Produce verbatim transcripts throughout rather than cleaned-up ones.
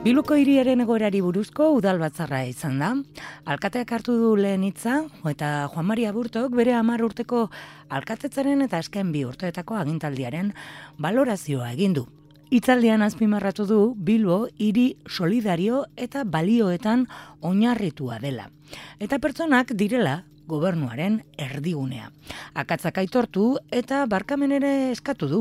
Bilboko hiriaren egoerari buruzko udal batzarra izan da. Alkateak hartu du lehen hitza, eta Juan Mari Aburtok bere hamar urteko alkatetzaren eta azken bi urteetako agintaldiaren balorazioa egin du. Hitzaldian azpimarratu du Bilbo hiri solidario eta balioetan oinarritua dela. Eta pertsonak direla gobernuaren erdigunea. Akatzak aitortu eta barkamen ere eskatu du,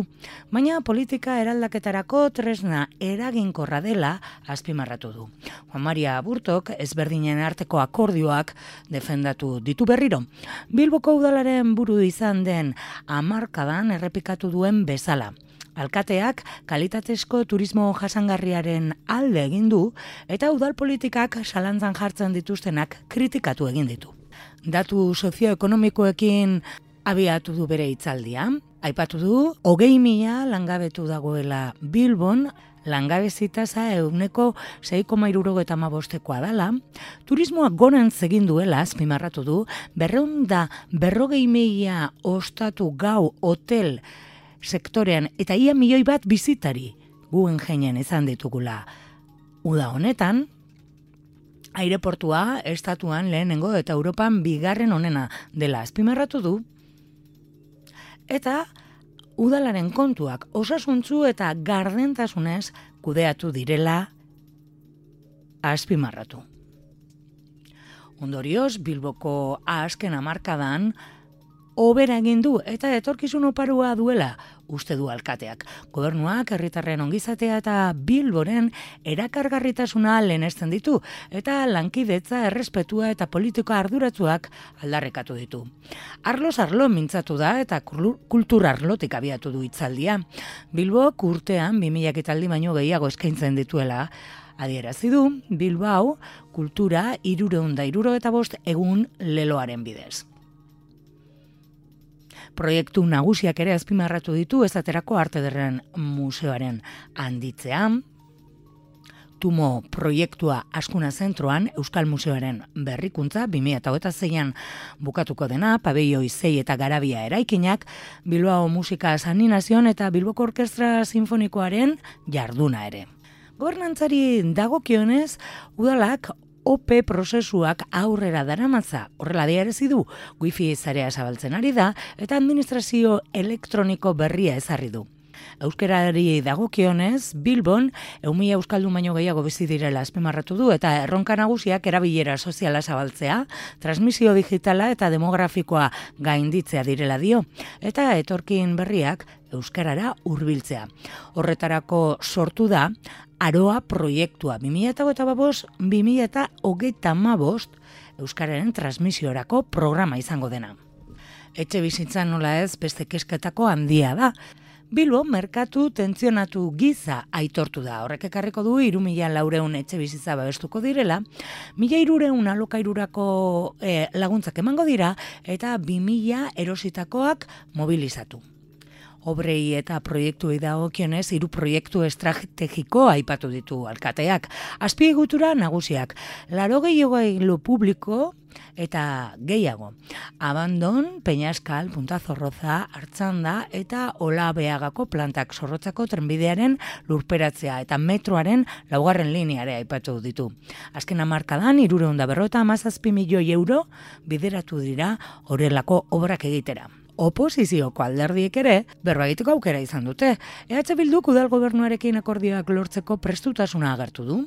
baina politika eraldaketarako tresna eraginkorra dela azpimarratu du. Juan Maria Aburtok ezberdinen arteko akordioak defendatu ditu berriro. Bilboko udalaren buru izan den hamarkadan errepikatu duen bezala. Alkateak kalitatezko turismo jasangarriaren alde egin du eta udal politikak zalantzan jartzen dituztenak kritikatu egin ditu. Datu sozioekonomikoekin abiatu du bere hitzaldia. Aipatu du, hogei mila langabetu dagoela Bilbon, langabezi tasa ehuneko sei koma hirurogeita hamabostekoa dela, turismoa gorantz egin duela azpimarratu du, berrehun eta berrogei mila ostatu gau hotel sektorean eta ia milioi bat bizitari Guggenheimen izan ditugula. Uda honetan, aireportua estatuan lehenengo eta Europan bigarren onena dela azpimarratu du, eta udalaren kontuak osasuntzu eta gardentasunez kudeatu direla azpimarratu. Ondorioz, Bilboko azken hamarkadan hobera egin du eta etorkizun oparua duela uste du alkateak. Gobernuak herritarren ongizatea eta Bilboren erakargarritasuna lehenesten ditu eta lankidetza, errespetua eta politika arduratsuak aldarrekatu ditu. Arloz arlo mintzatu da eta kultur arlotik abiatu du hitzaldia. Bilbok urtean bi mila ekitaldi baino gehiago eskaintzen dituela adierazi du, Bilbao kultura hirurehun eta hirurogeita bost egun leloaren bidez. Proiektu nagusiak ere azpimarratu ditu esaterako Arte Ederren Museoaren handitzea, Tumo proiektua Askuna Zentroan Euskal Museoaren berrikuntza bi mila hogeita seian bukatuko dena, pabelloi sei eta garabia eraikinak, Bilbao Musika Saninazion eta Bilboko Orkestra Sinfonikoaren jarduna ere. Gobernantzari dagokionez, udalak O P prozesuak aurrera daramatza, horrela adierazi du, wifi zarea zabaltzen ari da eta administrazio elektroniko berria ezarri du. Euskarari dagokionez, Bilbon ehun mila euskaldun baino gehiago bizi direla azpimarratu du eta erronka nagusiak erabilera soziala zabaltzea, transmisio digitala eta demografikoa gainditzea direla dio, eta etorkin berriak euskarara hurbiltzea. Horretarako sortu da Aroa proiektua bi mila hogeita bost bi mila hogeita hamabost euskararen transmisiorako programa izango dena. Etxe bizitzan nola ez beste kesketako handia da. Bilbo merkatu tentzionatu giza aitortu da. Horrek ekarriko du hiru mila laurehun etxe bizitza babestuko direla, mila hirurehun alokairurako eh, laguntzak emango dira eta bi mila erositakoak mobilizatu. Obrei eta proiektuei dagokionez hiru proiektu estrategiko aipatu ditu alkateak. Azpiegitura nagusiak, laurogei igailu publiko eta gehiago. Abandon, Peñaskal, Punta Zorroza, Artzanda eta Olabeagako plantak Zorrotzako trenbidearen lurperatzea eta metroaren laugarren lineare aipatu ditu. Azken hamarkadan hirurehun eta berrogeita hamazazpi milioi euro bideratu dira horrelako obrak egitera. Oposizioko alderdiek ere berba egiteko aukera izan dute. E H Bilduk udal gobernuarekin akordioak lortzeko prestutasuna agertu du.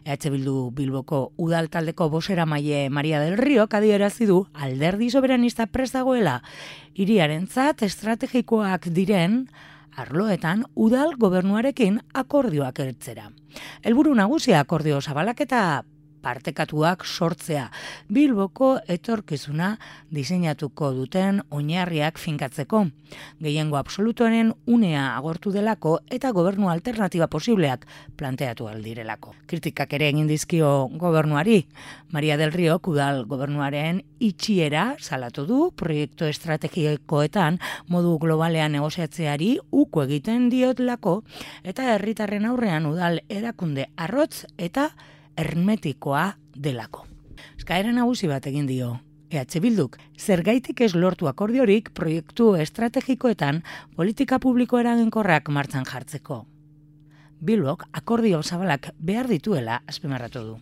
E H Bildu Bilboko udal taldeko bozeramaile Maria del Riok adierazi du alderdi soberanista prest dagoela hiriarentzat estrategikoak diren arloetan udal gobernuarekin akordioak ertzera. Helburu nagusia akordio zabalak eta partekatuak sortzea, Bilboko etorkizuna diseinatuko duten oinarriak finkatzeko. Gehiengo absolutoaren unea agortu delako eta gobernu alternatiba posibleak planteatu aldirelako. Kritikak ere egin dizkio gobernuari. Maria del Riok udal gobernuaren itxiera salatu du proiektu estrategikoetan modu globalean negoziatzeari uko egiten diotlako eta herritarren aurrean udal erakunde arrotz eta hermetikoa delako. Eskaera nagusi bat egin dio E H Bilduk zergaitik ez lortu akordiorik proiektu estrategikoetan politika publiko eraginkorrak martxan jartzeko. Bilbok akordio zabalak behar dituela azpimarratu du.